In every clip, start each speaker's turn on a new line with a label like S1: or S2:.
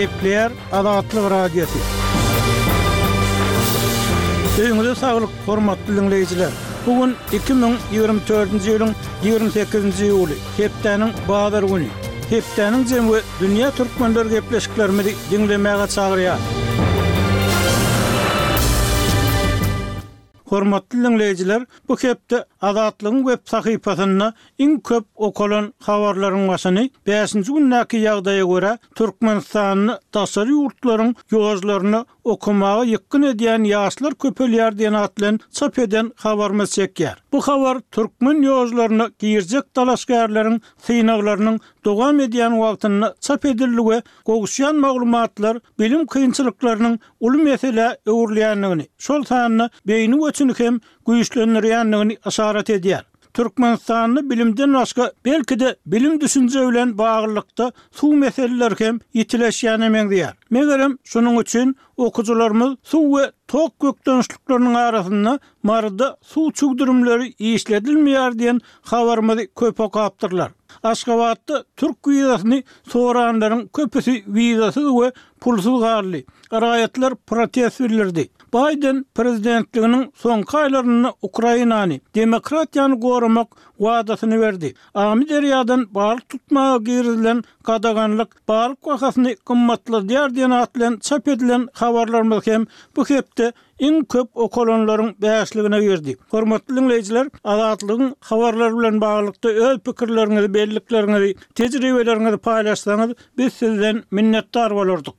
S1: Gepleýär Azatlyk Radiosy. Öýüňize saglyk, hormatly diňleýjiler! Bu gün 2024-nji ýylyň 28-nji iýuly, hepdäniň bazar güni. Hepdäniň jemi we dünýä türkmenleri gepleşiklerimizi diňlemäge çagyrýar. Hormatly diňleýjiler, bu hepde Azatlygyň web sahypasynda iň köp okalan habarlaryň başyny bäşinji gündäki ýagdaýa görä, Türkmenistanda daşary ýurtlaryň ýožlaryna okamaga ýykgyn edýän ýaşlar köpelýär diýen at bilen çap eden habarymyz çekýär. Bu habar türkmen ýožlaryna girjek dalaşgärleriň synaglarynyň dowam edýän wagtynda çap edildi we gowuşýan maglumatlar bilim kynçylyklarynyň uly meselä öwrülýändigini, şol sanda beýni göçüni hem güýçlendirýändigini yşarat edýär. Türkmenistanda bilimden başga, belki-de bilim-düşünje bilen baglylykda suw meseleleri hem ýitileşýäne meňzeýär. Megerem, şunuň üçin okyjylarymyz suw we tok bökdençlikleriniň arasynda Maryda suw çüwdürimleri işledilmeýär diýen habarymyzy köp okapdyrlar. Aşgabatda türk wizasyny soranlaryň köpüsi wizasyz we pulsuz galdy. Raýatlar protest bildirdi. Baýden prezidentliginiň soňky aýlarynda Ukrainany, demokratiýany goramak wadasyny berdi. Amyderýadan balyk tutmaga girizilen gadaganlyk balyk bahasyny gymmatladýar diýen at bilen çap edilen habarlarymyz hem bu hepde iň köp okalanlaryň bäşligine girdi. Hormatly diňleýjiler, Azatlygyň habarlary bilen baglylykda öz pikirleriňizi, bellikleriňizi, tejribeleriňizi paýlaşsaňyz, biz sizden minnetdar bolardyk.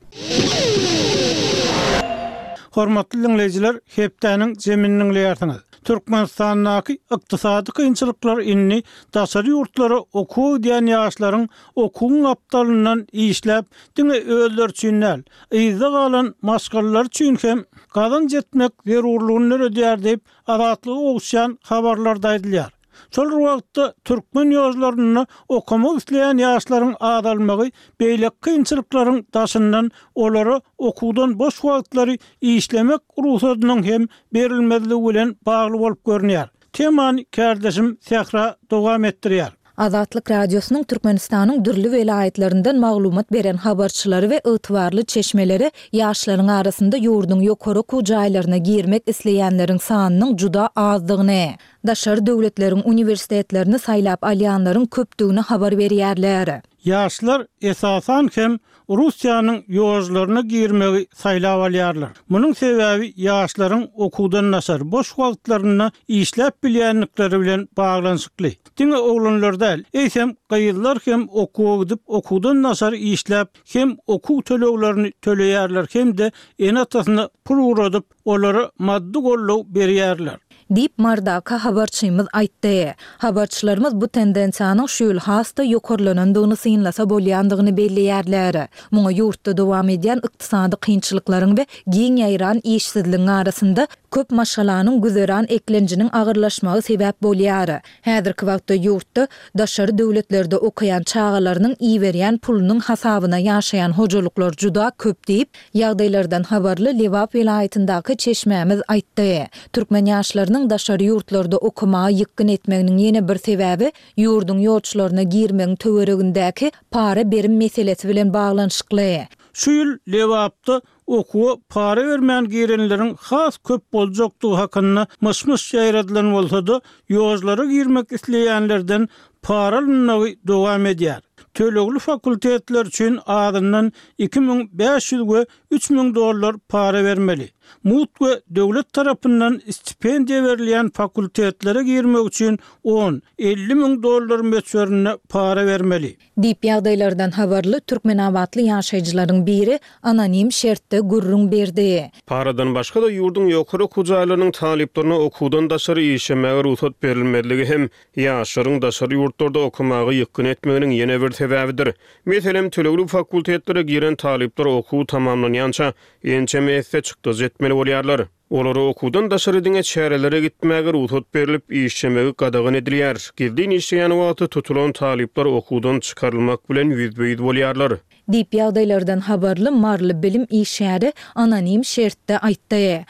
S1: Hormatly diňleýjiler, hepdäniň jemini diňleýärsiňiz. Türkmenistandaky ykdysady kynçylyklar indi daşary ýurtlara okuwa gidýän ýaşlaryň okuwyň gapdalyndan işläp, diňe özleri üçin däl, yzda galan maşgalalary üçin hem gazanç etmek zerurlygyny döredýär diýip, Azatlyga gowuşýan habarlarda aýdylýar. Şol bir wagtda, türkmen ýožlarynda okamak isleýän ýaşlaryň azalmagy beýleki kynçylyklaryň daşyndan olara okuwdan boş wagtlary işlemek rugsadynyň hem berilmezligi bilen bagly bolup görünýär. Temany kärdeşim Sähra dowam etdirýär.
S2: Azatlyk Radiosynyň Türkmenistanyň dürli welaýatlaryndan maglumat beren habarçylary we ygtybarly çeşmeleri ýaşlaryň arasynda ýurduň ýokary okuw jaýlaryna girmek isleýänleriň sanynyň juda azdygyny, daşary döwletleriň uniwersitetlerini saýlap alýanlaryň köpdügini habar berýärler.
S1: Ýaşlar, esasan hem, Russiýanyň ýožlaryna girmegi saýlap alýarlar. Munuň sebäbi ýaşlaryň okuwdan daşary boş wagtlarynda işläp bilýändikleri bilen baglanyşykly. Diňe oglanlar däl, eýsem gyzlar hem okuwa gidip okuwdan daşary işläp hem okuw töleglerini töleýärler hem-de ene-atasyna pul ugradyp olara maddy goldaw berýärler.
S2: Diýip, Mardaky habarçymyz aýtdy. Habarçylarymyz bu tendensiýanyň şu ýyl has-da ýokarlanandygyny synlasa bolýandygyny belleýärler. Muňa ýurtda dowam edýän ykdysady kynçylyklaryň we giň ýaýran işsizligiň arasynda köp maşgalanyň güzeran eklenjiniň agyrlaşmagy sebäp bolýar. Häzirki wagtda ýurtda daşary döwletlerde okaýan çagalarynyň iberýän pulunyň hasabyna ýaşaýan hojalyklar juda köp diýip, ýagdaýlardan habarly Lebap welaýatyndaky çeşmämiz aýtdy. Türkmen ýaşlarynyň daşary ýurtlarda okamaga ýykgyn etmeginiň ýene bir sebäbi ýurduň ýolçularyna girmegiň töweregindäki para-berim meselesi bilen baglanyşykly.
S1: Şu ýyl Lebapda okuwa para bermän girenleriň has köp boljakdygy hakynda myş-myş ýaýradylan bolsa-da, ýožlara girmek isleýänlerden para alynmagy dowam edýär. Tölegli fakultetler üçin azyndan 2500 we 3000 dollar para bermeli. Mugt we döwlet tarapyndan stipendiýa berilýän fakultetlere girmek üçin on, 50 müň dollar möçberinde para bermeli.
S2: Diýip, ýagdaýlardan habarly türkmenabatly ýaşaýjylaryň biri anonim şertde gürrüň berdi.
S3: Paradan başga-da, ýurduň ýokary okuw jaýlarynyň talyplaryna okuwdan daşary işlemäge rugsat berilmezligi hem ýaşlaryň daşary ýurtlarda okamaga ýykgyn etmeginiň ýene bir sebäbidir. Meselem, tölegli fakultetlere giren talyplar okuw tamamlanýança ençeme esse çykdajy etmeli bolýarlar. Olara okuwdan daşary diňe çärelere gitmäge rugsat berlip, işlemegi gadagan edilýär. Gizlin işleýän wagty tutulan talyplar okuwdan çykarylmak bilen ýüzbe-ýüz bolýarlar.
S2: Diýip, ýagdaýlardan habarly maryly bilim işgäri anonim şertde aýtdy.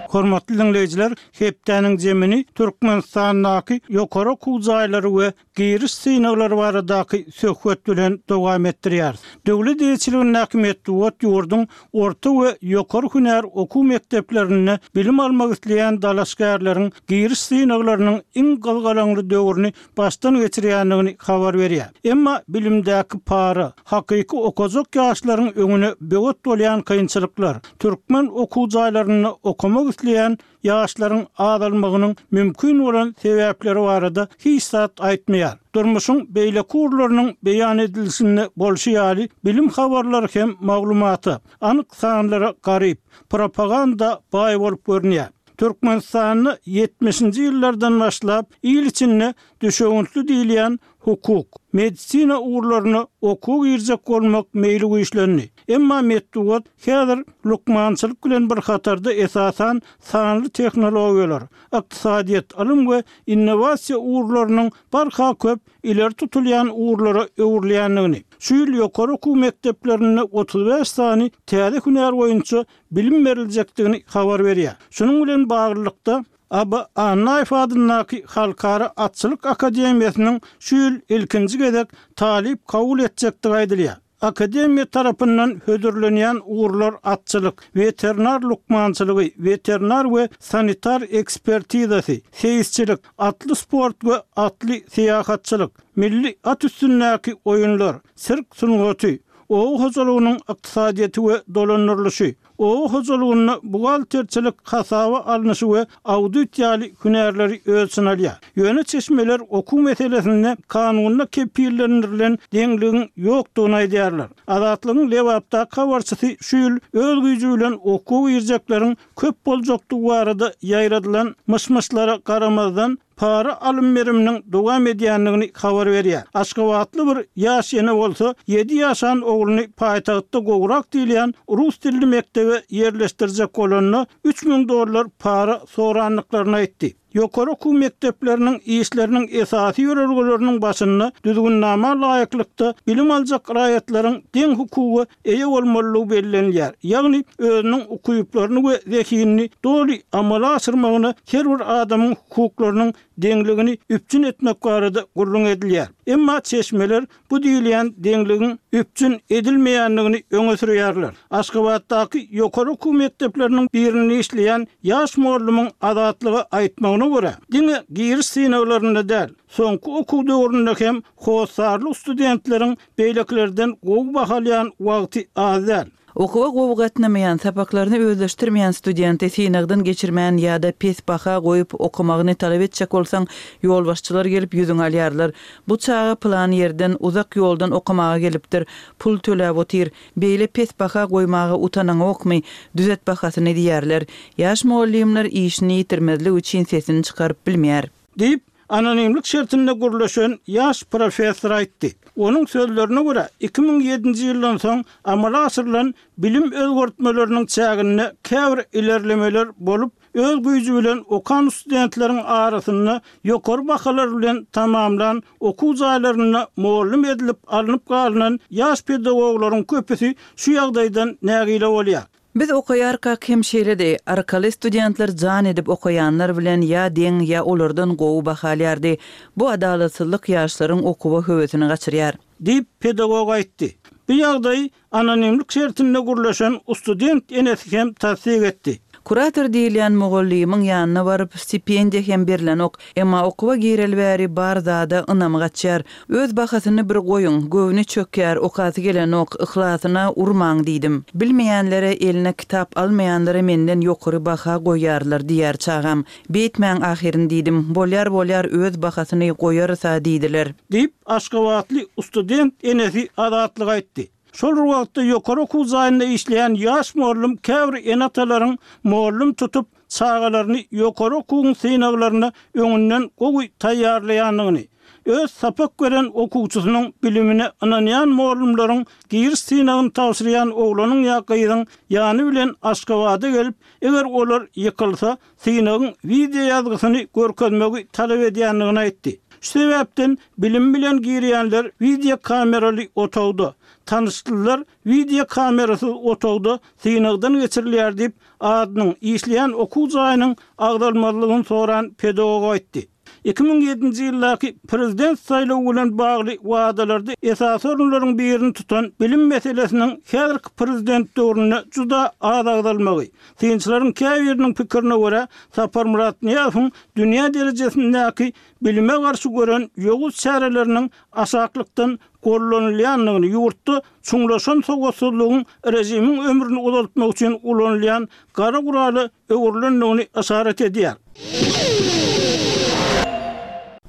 S1: Hormatly diňleýjiler, hepdäniň jemini Türkmenistandaky ýokary okuw jaýlary we giriş synaglary baradaky söhbet bilen dowam etdirýäris. Döwlet eýeçiligindäki metbugat ýurduň orta we ýokary hünär okuw mekdeplerinde bilim almak isleýän dalaşgärleriň giriş synaglarynyň iň gyzgalaňly döwrüni başdan geçirýändigini habar berýär. Emma bilimdäki para, hakyky okajak ýaşlaryň öňüne böwet bolýan kynçylyklar, türkmen okuw jaýlarynda okamak isleýän ýaşlaryň azalmagynyň mümkin bolan sebäpleri barada hiç zat aýtmaýar. Durmuşyň beýleki ugurlarynyň beýan edilişinde bolşy ýaly, bilim habarlary hem maglumata, anyk sanlara garyp, propaganda baý bolup görünýär. Türkmenistanda ýetmişinji ýyllardan başlap il içinde düşewüntli diýilýän hukuk, medisina ugurlaryna okuwa girjek bolmak meýli güýçlendi. Emma metbugat häzir lukmançylyk bilen bir hatarda esasan sanly tehnologiýalar, ykdysadyýet, ylym we innowasiýa ugurlarynyň barha köp ileri tutulýan ugurlara öwrülýändigini, şu ýyl ýokary okuw mekdeplerinde 35 sany täze hünär boýunça bilim beriljekdigini habar berýär. Şunuň bilen baglylykda, Aba Annaýew adyndaky Halkara atçylyk akademiýasynyň şu ýyl ilkinji gezek talyp kabul etjekdigi aýdylýar. Akademiýa tarapyndan hödürlenýän ugurlar atçylyk, weterinar lukmançylygy, weterinar we sanitar ekspertizasy, seýisçilik, atly sport we atly syýahatçylyk, milli at üstündäki oýunlar, sirk sungaty, oba hojalygynyň ykdysadyýeti we dolandyrylyşy, oba hojalygynda buhgalterçilik hasaba alnyşy we audit ýaly hünärleri öz içine alýar. Ýöne çeşmeler okuw meselesinde kanunda kepillendirilen deňligiň ýokdugyny aýdýarlar. Azatlygyň Lebapdaky habarçysy şu ýyl öz güýji bilen okuwa girjekleriň köp boljakdygy barada ýaýradylan myş-myşlara garamazdan, para alym-beriminiň dowam edýändigini habar berýär. Aşgabatly bir ýaş ene bolsa, ýedi ýaşan ogluny paýtagtda gowrak diýilýän rus dilli mekdebe ýerleşdirjek bolanda, 3000 dollar para sorandyklaryny aýtdy. Ýokary okuw mekdepleriniň işleriniň esasy ýörelgeleriniň başynda düzgünnama laýyklykda bilim aljak raýatlaryň deň hukuga eýe bolmalydygy bellenilýär, ýagny özüniň ukyplaryny we zehinini doly amala aşyrmagyna her bir adamyň hukuklarynyň deňligini üpjün etmek barada gürrüň edilýär. Emma çeşmeler bu diýilýän deňligiň üpjün edilmeýändigini öňe sürýärler. Aşgabatdaky ýokary okuw mekdepleriniň birinde işleýän ýaş mugallymyň Azatlyga aýtmagyna görä, diňe giriş synaglarynda däl, soňky okuw döwründe hem hossarly studentleriň Beýlekilerden gowy baha alýan wagty az däl.
S4: Okuwa gowy gatnamaýan, sapaklaryny özleşdirmeýän studenti synagdan geçirmän ýa-da pes baha goýup okamagyny talap etjek bolsaň, ýolbaşçylar gelip ýüzüňi alýarlar. Bu çaga pylan ýerden, uzak ýoldan okamaga gelipdir, pul töläp otyr. Beýle pes baha goýmaga utanaňokmy? Düzet bahasyny diýýärler. Ýaş mugallymlar işini ýitirmezlik üçin sesini çykaryp bilmeýär.
S1: Diýip, anonimlik şertinde gürleşen ýaş professor aýtdy. Onuň sözlerine görä, 2007-nji ýyldan soň amala aşyrylan bilim özgertmeleriniň çäginde käbir ilerlemeler bolup, öz güýji bilen okan studentleriň arasynda ýokary bahalar bilen tamamlan okuw jaýlarynda mugallym edilip alnyp galynan ýaş pedagoglaryň köpüsi şu ýagdaýdan nägile bolýar.
S4: Biz okaýarkak hem şeýledi. Arkaly studentler jan edip okaýanlar bilen ýa deň, ýa olardan gowy baha alýardy. Bu adalatsyzlyk ýaşlaryň okuwa höwesini gaçyrýar.
S1: Diýip, pedagog aýtdy. Bu ýagdaýy anonimlik şertinde gürleşen student enesi hem tassyk etdi.
S4: Kurator diýilýän mugallymyň ýanyna baryp, stipendiýa hem berlenok. Emma okuwa gireli bäri bar zada ynamy gaçýar. Öz bahasyny bir goýuň, göwni çökýär, okasy gelenok, yhlasyna urmaň diýdim. Bilmeýänlere, eline kitap almaýanlara menden ýokary baha goýýarlar diýýär çagam. Beýtmäň ahyryn diýdim. Bolýar bolýar öz bahasyny goýarys-a diýdiler.
S1: Diýip, aşgabatly student enesi Azatlyga aýtdy. Şol bir wagtda ýokary okuw jaýynda işleýän ýaş mugallym käbir ene-atalaryň mugallym tutup, çagalaryny ýokary okuwyň synaglaryna öňünden gowy taýýarlaýandygyny, öz sapak beren okuwçysynyň bilimine ynanýan mugallymlaryň giriş synagyny tabşyrýan oglanyň ýa gyzyň ýany bilen Aşgabada gelip, eger olar ýykylsa, synagyň wideoýazgysyny görkezmegi talap edýändigini aýtdy. Şu sebäpden bilim bilen girýänler wideokameraly otagda, tanyşlylar wideokamerasyz otagda synagdan geçirilýär diýip, adynyň, işleýän okuw jaýynyň agzalmazlygyny soran pedagog aýtdy. 2007-nji ýyldaky prezident saýlawy bilen bagly wadalarda esasy orunlaryň birini tutan bilim meselesiniň häzirki prezident döwründe juda az agzalmagy, synçylaryň käbiriniň pikirine görä, Saparmyrat Nyýazowyň dünýä derejesindäki bilime garşy gören ýowuz çäreleriniň aşaklykdan gollanylýandygyny, ýurtda çuňlaşan sowatsyzlygyň režimiň ömrüni uzaltmak üçin ulanylýan gara gurala öwrülendigini yşarat edýär.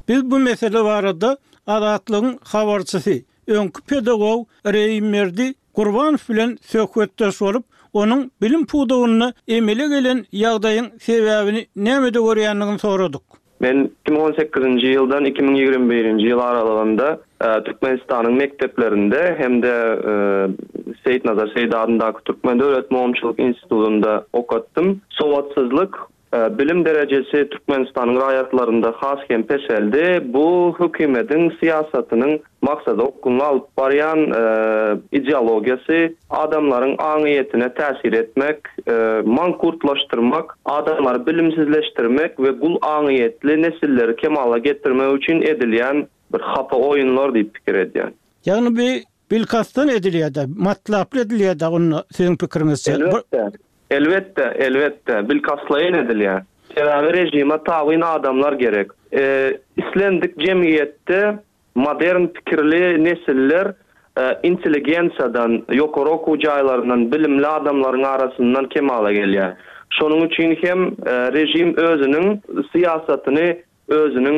S1: Biz bu mesele barada Azatlygyň habarçysy, öňki pedagog Reýimberdi Gurbanow bilen söhbetdeş bolup, onuň bilim pudagynda emele gelen ýagdaýyň sebäbini nämede görýändigini soradyk.
S5: Men 2018-nji ýyldan 2021-nji ýyl aralygynda Türkmenistanyň mekdeplerinde hem-de Seýitnazar Seýdi adyndaky Türkmen döwlet mugallymçylyk institutynda okatdym. Sowatsyzlyk, bilim derejesi Türkmenistanyň raýatlarynda has hem peseldi. Bu hökümetiň syýasatynyň maksada okgunly alyp barýan ideologiýasy, adamlaryň aňyýetine täsir etmek, mankurtlaşdyrmak, adamlary bilimsizleşdirmek we gul aňyýetli nesilleri kemala getirmek üçin edilýän bir hapa oýunlar diýip pikir edýän.
S1: Ýagny bi bilkastdan edilýär-dä, matlaply edilýär-dä onda siziň pikiriňizçe?
S5: Elbetde. Elbetde, elbetde, bilkastlaýyn edilýär. Sebäbi režime tabyn adamlar gerek. Islendik jemgyýetde Modern pikirli nesiller intelligensiýadan, ýokary okuw jaýlaryndan, bilimli adamlaryň arasyndan kemala gelýär. Şonuň üçin hem režim özüniň syýasatyny, özüniň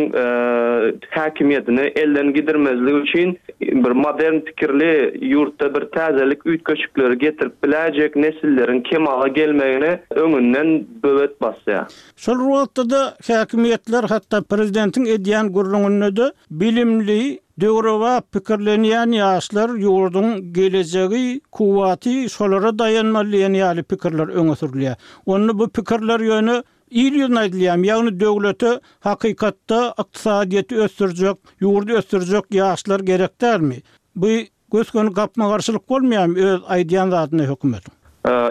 S5: häkimiýetini elden gidirmezlik üçin bir modern pikirli, ýurtda bir täzelik, üýtgeşikleri getirip biläýjek nesilleriň kemala gelmegine öňünden böwet basýar.
S1: Şol bir wagtda-da häkimiýetler, hatda prezidentiň edýän gürrüňinde-de bilimli, döwrebap pikirlenýän ýaşlar ýurduň gelejegi, kuwwaty, şolara daýanmaly diýen ýaly pikirler öňe sürülýär. Onda bu pikirler ýöne il ýüzüne aýdylýarmy? Ýagny döwlete hakykatda ykdysadyýeti ösdürjek, ýurdy ösdürjek ýaşlar gerek dälmi? Bu Gös-göni gapma-garşylyk bolmaýarmy öz aýdýan zadyna hökümetiň?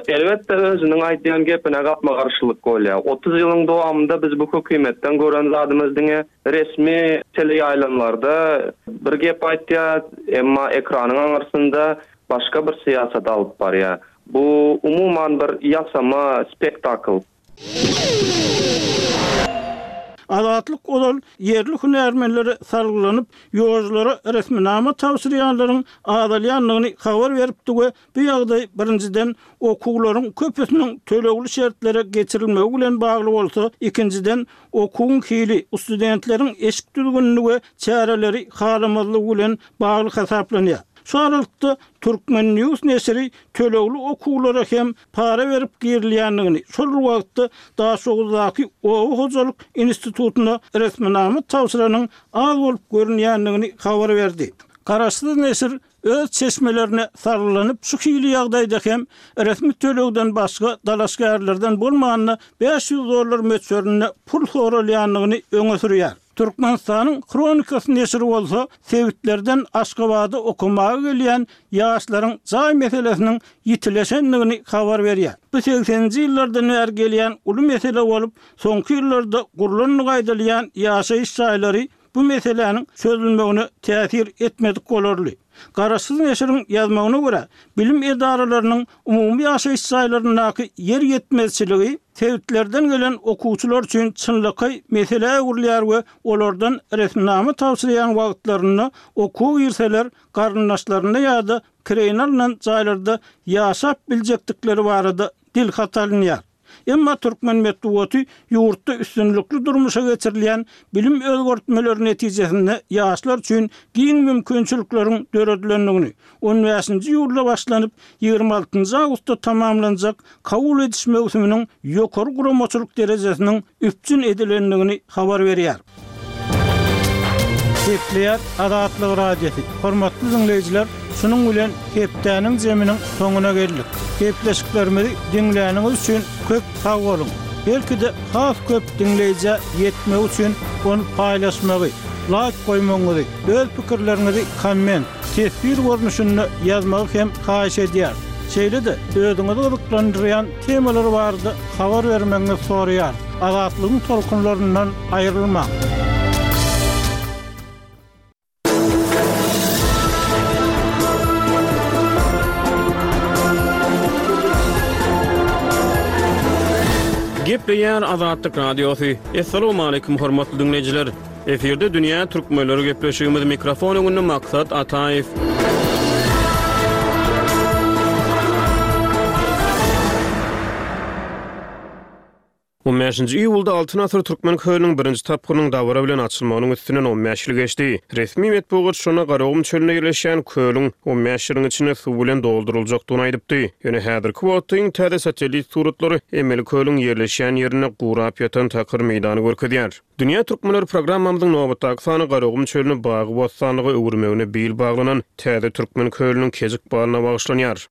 S5: Elbetde özüniň aýdýan gepine gapma-garşylyk bolýar. 30 ýylyň dowamynda biz bu hökümetden gören zadymyz diňe resmi teleýaýlymlarda bir gep aýtýar, emma ekranyň aňyrsynda başga bir syýasat alyp barýar. Bu umuman bir ýasama spektakl.
S1: Azatlyk ozal ýerli hünärmenlere salgylanyp, ýolculara resminama tabşyrýanlaryň azalýandygyny habar beripdi we bu ýagdaý, birinjiden, okuwlaryň köpüsiniň tölegli şertlere geçirilmegi bilen bagly bolsa, ikinjiden, okuwyň hili, studentleriň eşik düzgünini we çäreleri halamazlygy bilen bagly hasaplanýar. Şu aralykda, Turkmen. News neşiri tölegli okuwlara hem para berip girilýändigini, şol bir wagtda Daşoguzdaky oba hojalyk institutyna resminama tabşyranyň az bolup görünýändigini habar berdi. Garaşsyz neşir öz çeşmelerine salgylanyp, şu hili ýagdaýda hem resmi tölegden başga dalaşgärlerden bolmanda 500 dollar möçberinde pul soralýandygyny öňe sürýär. Türkmenistanyň Hronikasy neşiri bolsa sebitlerden Aşgabada okamaga gelýän ýaşlaryň jaý meselesiniň ýitileşendigini habar berýär. Bu segseninji ýyllardan bäri gelýän uly mesele bolup, soňky ýyllarda gurlandygy aýdylýan ýaşaýyş jaýlary bu meseläniň çözülmegine täsir etmedik bolarly. Garaşsyz neşiriň ýazmagyna görä, bilim edaralarynyň umumy ýaşaýyş jaýlaryndaky ýer ýetmezçiligi sebitlerden gelen okuwçylar üçin çynlakaý meselä öwrülýär we olardan resminama tabşyrýan wagtlarynda okuwa girseler garyndaşlarynda ýa-da kireýine alnan jaýlarda ýaşap biljekdikleri barada dilhat alynýar. Emma türkmen metbugaty ýurtda üstünlikli durmuşa geçirilýän bilim özgertmeleri netijesinde ýaşlar üçin giň mümkinçilikleriň döredilendigini, on bäşinji iýulda başlanyp, 26 njy awgustda tamamlanjak kabul ediş möwsüminiň ýokary guramaçylyk derejesiniň üpjün edilendigini habar berýär. Gepleýär Azatlyk Radiosy. Hormatly diňleýjiler, şunuň bilen hepdäniň zeminiň soňuna geldik. Gepleşiklerimizi diňläniňiz üçin köp sag boluň! Belki-de has köp diňleýjä ýetmegi üçin ony paýlaşmagy. laýk goýmagyňyzy, öz pikirleriňizi komment, teswir görnüşinde ýazmagy hem haýyş edýäris. Şeýle-de özüňizi gyzyklandyrýan temalar barada habar bermegiňizi soraýarys. Azatlygyň tolkunlaryndan aýrylmaň!
S3: Gepleýär Azatlyk Radiosy. Assalamualaikum hormatly diňleýjiler. Efirde dünýä türkmenleri gepleşigimiz mikrofon öňünde Maksat Ataýew. On bäşinji iýulda Altyn asyr Türkmen kölüniň birinji tapgyrynyň dabara bilen açylmagynyň üstünden on bäş ýyl geçdi. Resmi metbugat şonda Garagum çölünde ýerleşýän kölüň on bäş ýylyň içinde suw bilen dolduryljakdygyny aýdypdy. Ýöne häzirki wagtda iň täze satellit suratlary emeli kölüň ýerleşýän ýerinde gurap ýatan takyr meýdany görkezýär. Dünýä türkmenleri programmamyzyň nobatdaky sany Garagum çölüni bagy-bossanlyga öwürmegine bil baglanan täze Türkmen kölüniň kejik balyna bagyşlanýar.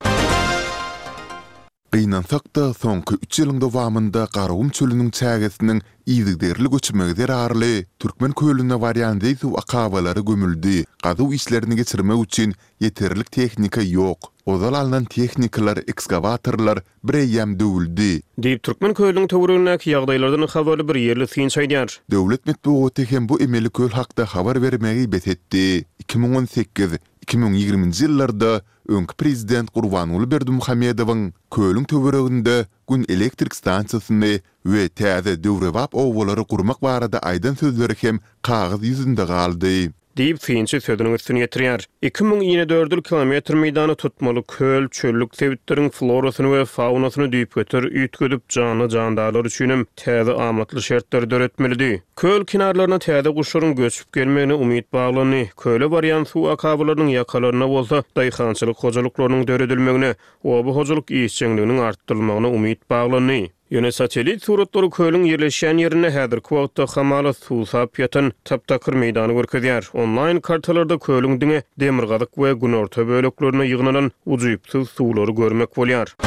S6: Gynansak-da, soňky üç ýylyň dowamynda Garagum çölüniň çägesiniň yzygiderli göçmegi zerarly, Türkmen kölüne barýan zeý suw akabalary gömüldi, gazuw işlerini geçirmek üçin ýeterlik tehnika ýok. Ozal alnan tehnikalar, ekskawatorlar bireýýäm döwüldi.
S3: Diýip, Türkmen kölüniň töweregindäki ýagdaýlardan habarly bir ýerli synçy aýdýar.
S6: Döwlet metbugaty hem bu emeli köl hakda habar bermegi bes etdi. 2018, 2020-nji ýyllarda Öňki prezident Gurbanguly Berdimuhamedowyň kölüň töwereginde Gün elektrik stansiýasyny we täze döwrebap obalary gurmak barada aýdan sözleri hem kagyz ýüzünde galdy.
S3: Diýip, synçy sözüniň üstüni ýetirýär. 2000 inedördül kilometr meýdany tutmaly köl çöllük sebitleriň florasyny we faunasyny düýpgöter üýtgedip, janly-jandarlar üçinem täze amatly şertleri döretmelidi. Köl kenarlaryna täze guşlaryň göçüp gelmegine umyt baglandy. Köle barýan suw akabalarynyň ýakalarynda bolsa daýhançylyk hojalyklarynyň döredilmegine, oba hojalyk işjeňliginiň artdyrylmagyna umyt baglandy. Ýöne satellit suratlary kölüň ýerleşýän ýerinde häzirki wagtda hamala suwsap ýatan tap-takyr meýdany görkezýär. Onlaýn kartalarda kölüň diňe demirgazyk we günorta böleklerinde ýygnalan ujypsyz suwlary görmek bolýar.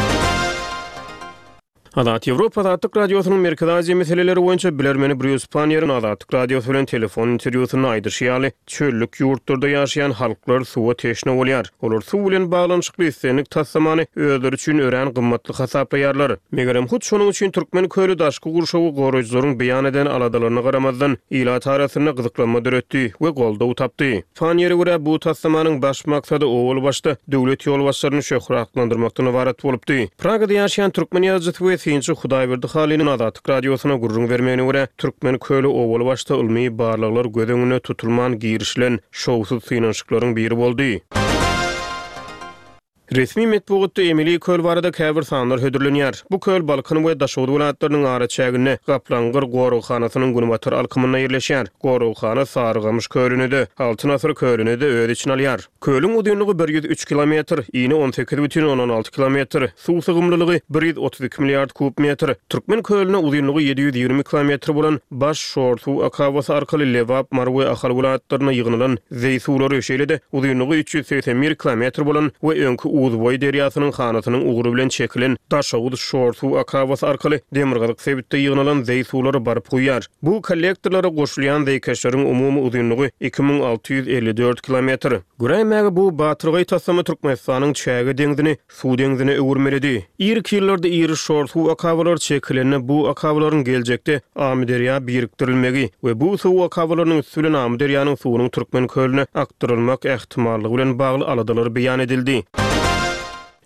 S3: Azat Ýewropa Azatlyk Radiosynyň Merkezi Aziýa meseleleri boýunça bilermeni Brýus Panniýeriň Azatlyk Radiosy bilen telefon interwýusynda aýdyşy ýaly, çöllük ýurtlarda ýaşaýan halklar suwa teşne bolýar. Olar suw bilen baglanyşykly islendik taslamany özleri üçin örän gymmatly hasaplaýarlar. Megerem, hut şonuň üçin Türkmen köli daşky gurşawy goraýjylaryň beýan eden aladalaryna garamazdan, ilat arasynda gyzyklanma döretdi we goldaw tapdy. Panniýere görä, bu taslamanyň baş maksady owal başda döwlet ýolbaşçylaryny şöhratlandyrmakdan ybarat bolupdy. Pragada ýaşaýan türkmen ýazyjysy we synçy Hudaýberdi Halynyň Azatlyk Radiosyna gürrüň bermegine görä, Türkmen köli owal başda ylmy barlaglar göz öňünde tutulman girişilen şowsuz synanyşyklaryň biri boldy. Resmi metbugatda emeli köl barada käbir sanlar hödürlenýär. Bu köl Balkan we Daşoguz welaýatlarynyň araçäginde, Gaplaňgyr goraghanasynyň günbatar alkymynda ýerleşýär. Goraghana Sarygamyş kölüni-de, Altyn asyr kölüni-de öz içine alýar. Kölüň uzynlygy 103 kilometr, ini 18,6 kilometr, suw sygymlylygy 132 milliard kub metr. Türkmen kölüne uzynlygy 720 kilometr bolan Baş şor suw akabasy arkaly Lebap, Mary we Ahal welaýatlarynda ýygnalan zeý suwlary, şeýle-de uzynlygy 381 kilometr bolan we öňki Uzboý derýasynyň hanasynyň ugry bilen çekilen Daşoguz şor suw akabasy arkaly demirgazyk sebitde ýygnalan zeý suwlary baryp guýýar. Bu kollektorlara goşulýan zeýkeşleriň umumy uzynlygy 2654 kilometr. Göräýmäge bu batyrgaý taslama Türkmenistanyň çäge deňzini suw deňzine öwürmelidi. Irki ýyllarda iri şor suw akabalary çekilende bu akabalaryň geljekde Amyderýa birikdirilmegi we bu suw akabalarynyň üsti bilen Amyderýanyň suwunyň Türkmen kölüne akdyrylmak ähtimallygy bilen bagly aladalar beýan edildi.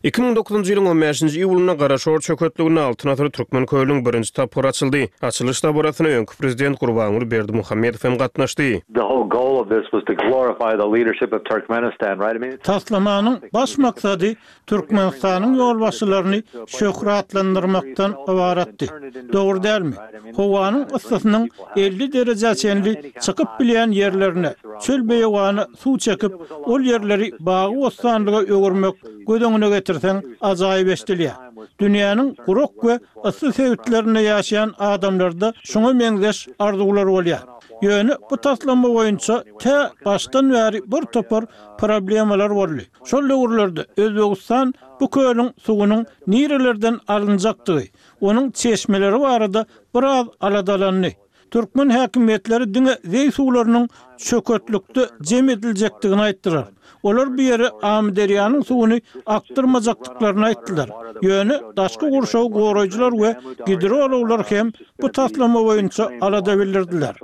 S3: 2009-njy ýylyň on bäşinji iýulynda Garaşor çöketliginde Altyn asyr Türkmen kölüniň birinji tapgyry açyldy. Açylyş dabarasyna öňki prezident Gurbanguly Berdimuhamedow hem gatnaşdy.
S7: The whole goal of this was to glorify the leadership of Turkmenistan, right? I mean,
S1: Taslamanyň baş maksady Türkmenistanyň ýolbaşçylaryny şöhratlandyrmakdan ybaratdy. Dogry dälmi? Howanyň yssysynyň 50 derejä çenli çykyp bilýän ýerlerine, çöl-beýewana suw çekip, ol ýerleri bagy-bossanlyga öwürmek göz öňüne getirseň ajaýyp eşidilýär. Dünýäniň gurak we yssy sebitlerinde ýaşaýan adamlarda şuňa meňzeş arzuwlar bolýar. Ýöne bu taslama boýunça tä başdan bäri bir topar problemalar boldy. Şol döwürlerde Özbegistan bu kölüň suwunyň nirelerden alynjakdygy, onuň çeşmeleri barada biraz aladalandy. Türkmen häkimiýetleri diňe zeý suwlarynyň çöketlikde jem ediljekdigini aýtdylar. Olar bu ýere Amyderýanyň suwuny akdyrmajakdyklaryny aýtdylar. Ýöne daşky gurşawy goraýjylar we gidrologlar hem bu taslama boýunça alada bildirdiler.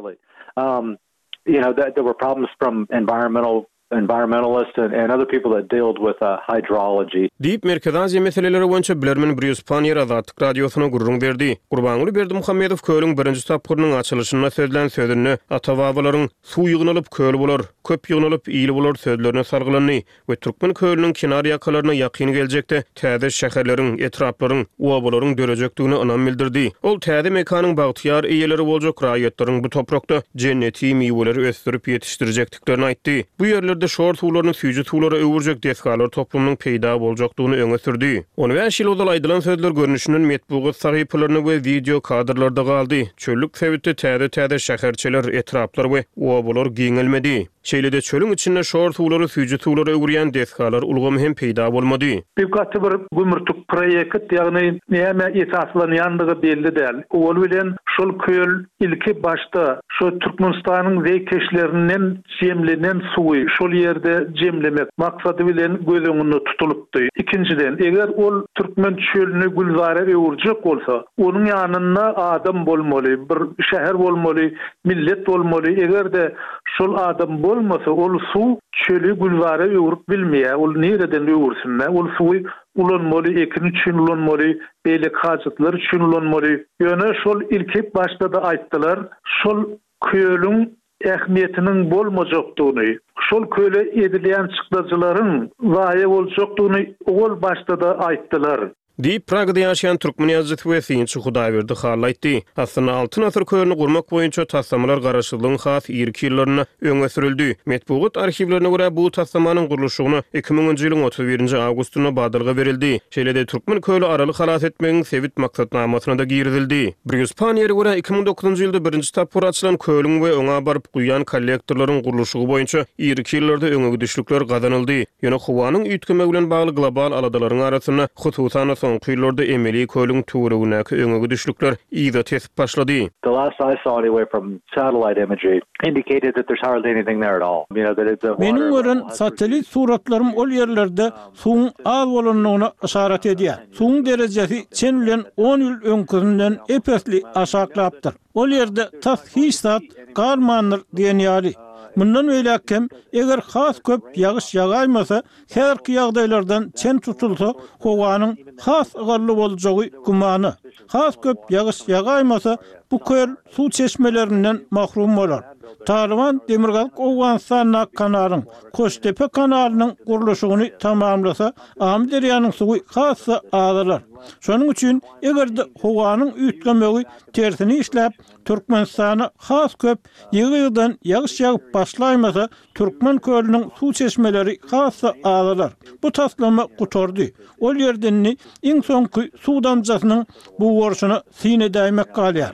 S7: You know, there were problems from environmental environmentalists and other people that dealt with hydrology.
S3: Diýip, Merkezi Aziýa meseleleri boýunça bilermen Brýus Panniýer Azatlyk Radiosyna gürrüň berdi. Gurbanguly Berdimuhamedow kölüň birinji tapgyrynyň açylyşynda sözlän sözünde ata-babalaryň, Suw ýygnalyp, köl bolar, köp ýygnalyp, il bolar sözlerine salgylandy. We Türkmen kölüniň kenar ýakalaryna ýakyn geljekde täze şäherleriň, etraplaryň, obalaryň dörejekdigine ynam bildirdi. Ol täze mekanyň bagtyýar eýeleri boljak raýatlaryň bu toprakda jenneti miweleri ösdürip ýetişdirjekdiklerini aýtdy. Bu ýerlerde şor suwlaryny süýji suwlara öwürjek desgalar toplumynyň peýda boljakdygyny öňe sürdi. On bäş ýyl ozal aýdylan sözler görnüşinden metbugat sahypalarynda we wideo kadrlarda galdy. Çöllük sebitde täze-täze şäherçeler, etraplar we obalar giňelmedi. Şeýle-de çölüň içinde şor suwlary süýji suwlara öwürýän desgalar ulgamy hem peýda bolmady.
S8: Bu gaty bir gümürtik proýekt, ýagny nämä esaslanýandygy belli däl. Owal bilen şol köl ilki başda şo Türkmenistanyň zeýkeşlerinden jemlenen suwy şol ýerde jemlemek maksady bilen göz öňünde tutulypdy. Ikinjiden, eger ol türkmen çölüni gülzara öwürjek bolsa, onuň ýanynda adam bolmaly, bir şäher bolmaly, millet bolmaly. Eger-de Şol adam bolmasa ol suw çöli gülzara öwrüp bilmeýär, ol nireden öwürsün-dä, ol suwy ulanmaly, ekin üçin ulanmaly, beýleki hajatlar üçin ulanmaly. Ýöne şol ilki başda-da aýtdylar, şol kölüň ähmiýetiniň bolmajakdygyny, şol köle edilýän çykdajylaryň zaýa boljakdygyny owal başda-da aýtdylar.
S3: Diýip, Pragada ýaşaýan türkmen ýazyjysy we synçy Hudaýberdi Hally aýtdy. Aslynda, Altyn asyr kölüni gurmak boýunça taslamalar garaşsyzlygyň has irki ýyllarynda öňe sürüldi. Metbugat arhiwlerine görä, bu taslamanyň gurluşygyna iki müňünji ýylyň 31 nji awgustynda badalga berildi. Şeýle-de, Türkmen köli Araly halas etmegiň sebit maksatnamasyna-da girizildi. Brýus Panniýere görä, 2009-njy ýylda birinji tapgyr açylan kölüň we oňa baryp guýýan kollektorlaryň gurluşygy boýunça irki ýyllarda öňegidişlikler gazanyldy. Ýöne howanyň üýtgemegi bilen bagly global aladalaryň arasynda, hususan-da soňky ýyllarda emeli kölüň töweregindäki öňe gidişlikler yza tesip başlady.
S7: The last I saw anyway from satellite imagery indicated that there's hardly anything there at all. You know that it's a
S1: Meniň gören satellit suratlarym ol ýerlerde suwuň az bolandygyna yşarat edýär. Suwuň derejesi çen bilen on ýyl öňküsinden ep-esli aşaklapdyr. Ol ýerde tas hiç zat galmandyr diýen ýaly. Mundan beýläk hem, eger has köp ýagyş ýagaýmasa, häzirki ýagdaýlardan çen tutulsa, howanyň has ygally boljagy gümana. Has köp ýagyş ýagaýmasa, bu köl suw çeşmelerinden mahrum bolar. Talyban Demirgazyk Owganystandaky kanalyň, Koştepe kanalynyň gurluşygyny tamamlasa, Amyderýanyň suwy has-da azalar. Şonuň üçin, eger-de howanyň üýtgemegi tersine işläp, Türkmenistana has köp ýygy-ýygydan ýagyş ýagyp başlaýmasa, Türkmen kölüniň suw çeşmeleri has-da azalar. Bu taslama gutardy. Ol ýerde indi iň soňky suw damjasynyň bugaryşyna syn edäýmek galýar.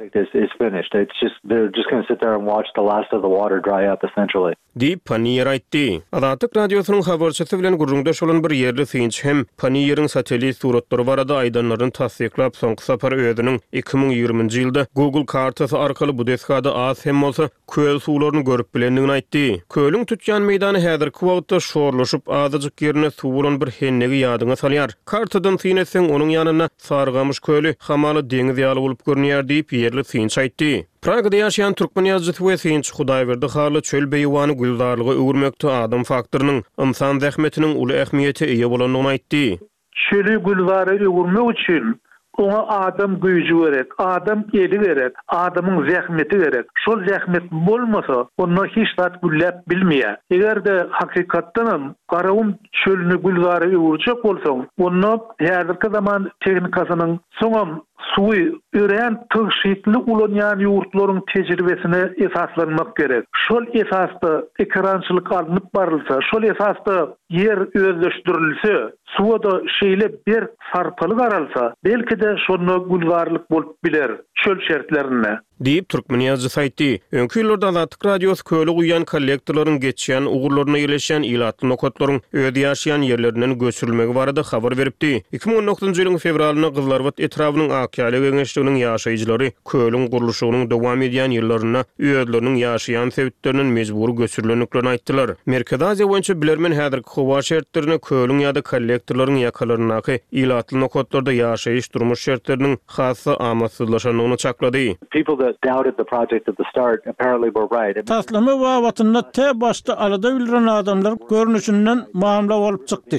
S3: Diýip, Panniýer aýtdy. Azatlyk Radiosynyň habarçysy bilen gürrüňdeş bolan bir ýerli synçy hem Panniýeriň satellit suratlary barada aýdanlaryny tassyklap, soňky sapar özüniň 2020-nji ýylda Google kartasy arkaly bu desgada az hem bolsa köl suwlaryny görüp bilendigini aýtdy. Kölüň tutýan meýdany häzirki wagtda şorlaşyp, azajyk ýerinde suw bolan bir hennegi ýadyňa salýar. Kartadan syn etseň, onuň ýanynda Sarygamyş köli hamala deňiz ýaly bolup görünýär diýip, ýerli synçy aýtdy. Pragada ýaşaýan türkmen ýazyjysy we synçy Hudaýberdi Hally çöl-beýewany gülzarlyga öwürmekde adam faktorynyň, ynsan zähmetiniň uly ähmiýete eýe bolandygyny aýtdy.
S8: Çöli gülzara öwürmek üçin oňa adam güýji gerek, adam eli gerek, adamyň zähmeti gerek. Şol zähmet bolmasa, onda hiç zat gülläp bilmeýär. Eger-de hakykatdanam Garagum çölüni gülzara öwürjek bolsaň, onda häzirki zaman tehnikasynyň, soňam Suwy örän tygşytly ulanýan ýurtlaryň tejribesine esaslanmak gerek. Şol esasda ekerançylyk alnyp barylsa, şol esasda ýer özleşdirilse, suwa-da şeýle berk sarpaly garalsa, belki-de şonda gülzarlyk bolup biler çöl şertlerinde.
S3: Diýip, türkmen ýazyjysy aýtdy. Öňki ýyllarda Azatlyk Radiosy köle guýýan kollektorlaryň geçýän ugurlarynda ýerleşýän ilatly nokatlaryň öz ýaşaýan ýerlerinden göçürilmegi barada habar beripdi. 2019-njy ýylyň fewralynda Gyzylarbat etrabynyň Akýaýla geňeşliginiň ýaşaýjylary kölüň gurluşygynyň dowam edýän ýyllarynda özleriniň ýaşaýan sebitlerinden mejbury göçürilendiklerini aýtdylar. Merkezi Aziýa boýunça bilermen häzirki howa şertlerinde kölüň ýa-da kollektorlaryň ýakalaryndaky ilatly nokatlarda ýaşaýyş-durmuş şertleriniň has-da amatsyzlaşandygyny çaklady.
S1: Taslama babatynda tä başda alada bildiren adamlar görnüşinden mamla bolup çykdy.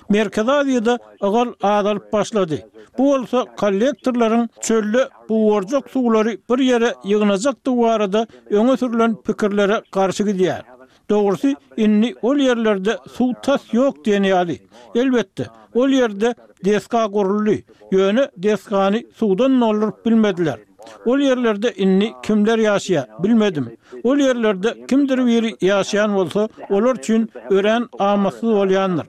S1: Merkezi Aziýada ygal azalyp başlady. Bu bolsa kollektorlaryň çölde bugarjak suwlary bir ýere ýygnajakdygy barada öňe sürlen pikirlere garşy gidýär. Dogrusy, indi ol ýerlerde suw tas ýok diýen ýaly. Elbetde, ol ýerde desga guruldy, ýöne desgany suwdan dolduryp bilmediler. Ol ýerlerde indi kimler ýaşaýar, bilmedim. Ol ýerlerde kimdir biri ýaşaýan bolsa, olar üçin örän amatsyz bolýandyr.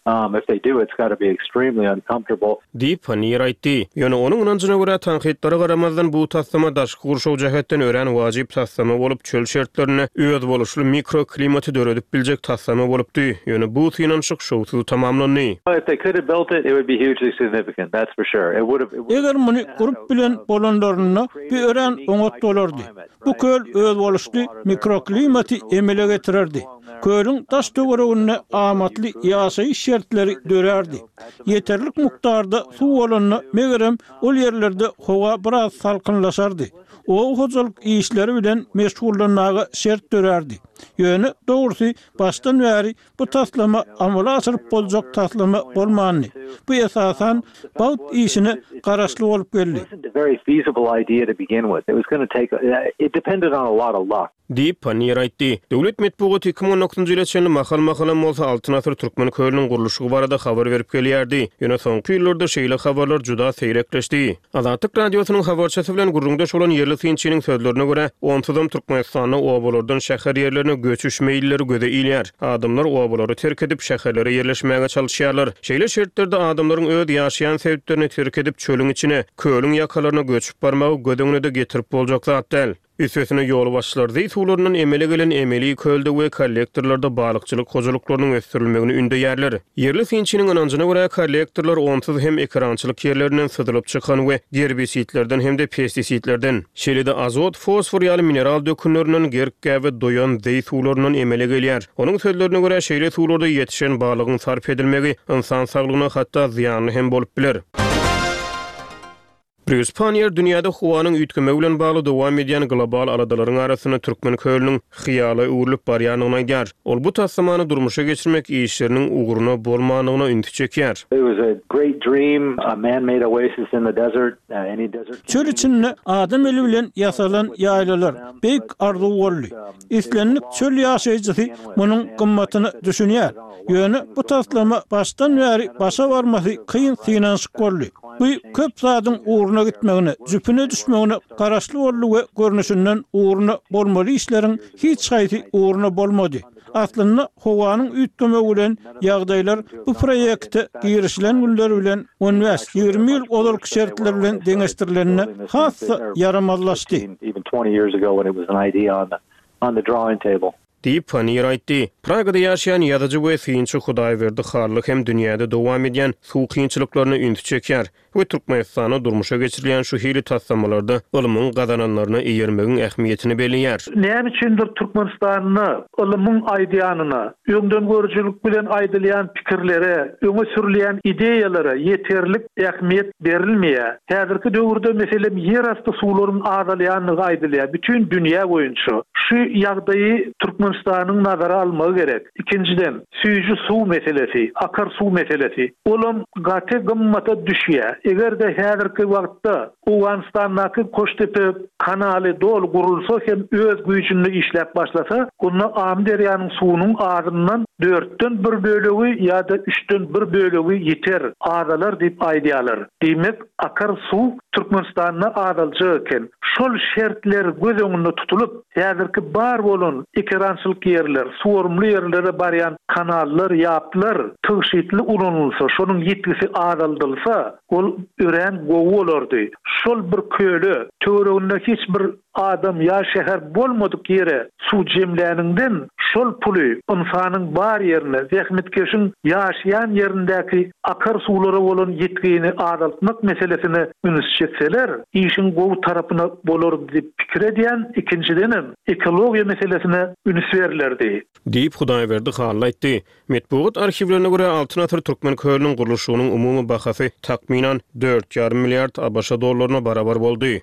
S7: If they do, it's gotta be extremely uncomfortable.
S3: Diýip, Panniýer aýtdy. Ýöne onuň ynanjyna görä, tankytlara garamazdan, bu taslama daşky gurşaw jähetden örän wajyp taslama bolup, çöl şertlerinde özboluşly mikroklimaty döredip biljek taslama bolupdy. Ýöne bu synanyşyk şowsuz tamamlandy.
S7: If they could have built it, it would be hugely significant, that's for sure. It would have.
S1: Eger muny gurup bilen bolanlarynda, bu örän oňat bolardy. Bu köl özboluşly mikroklimaty emele getirerdi. Kölüň daş-töwereginde amatly ýaşaýyş şertleri dörärdi. Ýeterlik mukdarda suw bolanda, megerem, ol ýerlerde howa biraz salkynlaşardy. Oba hojalyk işleri bilen meşgullanmaga şert dörärdi. Ýöne, dogrusy, başdan bäri bu taslama amala aşyryp boljak taslama bolmandy. Bu, esasan, bagt işine garaşly bolup geldi.
S3: Diýip, Panniýer aýtdy. Döwlet metbugaty 2019-njy ýyla çenli mahal-mahalam bolsa Altyn asyr türkmen kölüniň gurluşygy barada habar berip gelýärdi. Ýöne soňky ýyllarda şeýle habarlar juda seýrekleşdi. Azatlyk Radiosynyň habarçysy bilen gürrüňdeş bolan ýerli synçynyň sözlerine görä, onsuzam Türkmenistanda obalardan şäher ýerlerine göçüş meýilleri göze ilýär. Adamlar obalary terk edip, şäherlere ýerleşmäge çalyşýarlar. Şeýle şertlerde adamlaryň öz ýaşaýan sebitlerini terk edip, çölüň içine, kölüň ýakalaryna göçüp barmagy göz öňüne-de getirip boljak zat däl. Üstesine ýolbaşçylar zeý suwlaryndan emele gelen emeli kölde we kollektorlarda balykçylyk hojalyklarynyň ösdürilmegini ündeýärler. Ýerli synçynyň ynanjyna görä, kollektorlar onsuz hem ekerançylyk ýerlerinden syzylyp çykan we gerbisidlerden hem-de pestisidlerden, şeýle-de azot, fosfor ýaly mineral dökünlerinden gerk-gäbe doýan zeý suwlaryndan emele gelýär. Onuň sözlerine görä, şeýle suwlarda ýetişen balygyň sarp edilmegi ynsan saglygyna hatda zyýanly hem bolup biler. Brýus Panniýer dünýäde howanyň üýtgemegi bilen bagly dowam edýän global aladalaryň arasynda Türkmen kölüniň hyýala öwrülip barýandygyny aýdýar. Ol bu taslamany durmuşa geçirmek işleriniň ugruna bolmandygyna ünsi çekýär.
S1: Çöl içinde adam eli bilen ýasalan ýaýlalar beýik arzuw boldy. Islendik çöl ýaşaýjysy munuň gymmatyna düşünýär. Ýöne bu taslama başdan bäri başa barmasy kyn synanyşyk boldy. Bu köp zadyň ugruna gitmegine, jüpüne düşmegine garaşly boldy we görnüşinden ugruna bolmaly işleriň hiç haýsy ugruna bolmady. Aslynda howanyň üýtgemegi bilen ýagdaýlar bu proýekte girişilen günler bilen on bäş, 20 ýyl ozalky şertler bilen deňeşdirilende has-da ýaramazlaşdy.
S3: Diýip, Panniýer aýtdy. Pragada ýaşaýan ýazyjy we synçy Hudaýberdi Hally hem dünýäde dowam edýän suw kynçylyklaryna ünsi çekýär we Türkmenistanda durmuşa geçirilýän şu hili taslamalarda ylmyň gazananlaryna eýermegiň ähmiýetini belleýär.
S8: Näme üçindir Türkmenistanda ylmyň aýdýanyna, öňdengörüjilik bilen aýdylýan pikirlere, öňe sürülýän ideýalara ýeterlik ähmiýet berilmeýär. Häzirki döwürde, meselem, ýerasty suwlaryň azalýandygy aýdylýar, bütin dünýä boýunça. Şu ýagdaýy Türkmenistanyň nazara almagy gerek. Ikinjiden, süýji suw meselesi, akar suw meselesi. Olam gaty gymmata düşýär. Eger-de häzirki wagtda Owganystandaky Koştepe kanaly doly gurulsa hem öz güýjünde işläp başlasa, onda Amyderýanyň suwunyň azyndan dörtden bir bölegi ýa-da üçden bir bölegi ýiter, azalar diýip aýdýarlar. Diýmek, akar suw Türkmenistanda azaljak eken. Şol şertler göz öňünde tutulyp, häzirki bar bolan ekerançylyk ýerler, suwarymly ýerlere barýan. kanallar, ýaplar tygşytly ulanylsa, şonuň ýitgisi azaldylsa, ol örän gowy bolardy. Şol bir köle, töwereginde hiç bir adam ýa şäher bolmadyk ýere suw jemläniňden, şol puly ynsanyň bar ýerine, zähmetkeşiň ýaşaýan ýerindäki akar suwlara bolan ýitgini azaltmak meselesine üns çekseler, işiň gowy tarapyna bolardy diýip pikir edýän, ikinjidenem, ekologiýa meselesine üns berlerdi.
S3: Diýip, Hudaýberdi Hally aýtdy. Metbugat arhiwlerine görä, Altyn asyr Türkmen kölüniň gurluşygynyň umumy bahasy, takmynan, dört ýarym milliard ABŞ dollaryna barabar boldy.